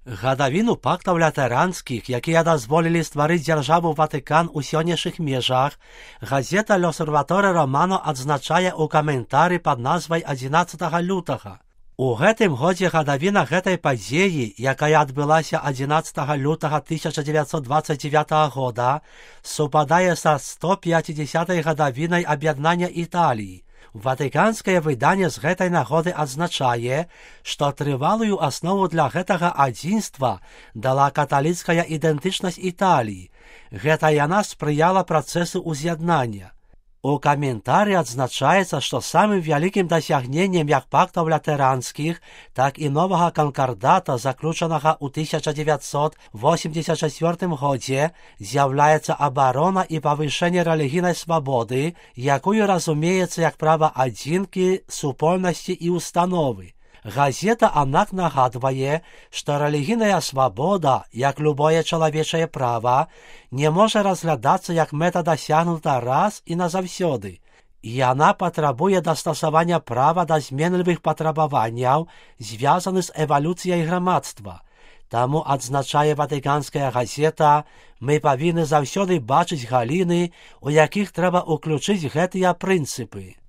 Гадавіну пактаў латэранскіх, якія дазволілі стварыць дзяржаву Ватыкан у сённяшніх межах, газета «L'Osservatore Romano» адзначае ў каментары пад назвай 11 лютага. У гэтым годзе гадавіна гэтай падзеі, якая адбылася 11 лютага 1929 года, супадае са 150-й гадавінай аб'яднання Італіі. Ватыканскае выданне з гэтай нагоды адзначае, што трывалую аснову для гэтага адзінства дала каталіцкая ідэнтычнасць Італіі. Гэта яна спрыяла працэсу ўз'яднання. У каментары адзначаецца, што самым вялікім дасягненнем як пактаў латэранскіх, так і новага канкардата, заключанага ў 1984 годзе, з'яўляецца абарона і павышэнне рэлігійнай свабоды, якую разумеецца як права адзінкі, супольнасці і установы. Газета, аднак, нагадвае, што рэлігійная свабода, як любое чалавечае права, не можа разглядацца як мэта дасягнута раз і назаўсёды. Яна патрабуе дастасавання права да зменлівых патрабаванняў, звязаных з эвалюцыяй грамадства. Таму, адзначае ватыканская газета, мы павінны заўсёды бачыць галіны, у якіх трэба ўключыць гэтыя прынцыпы.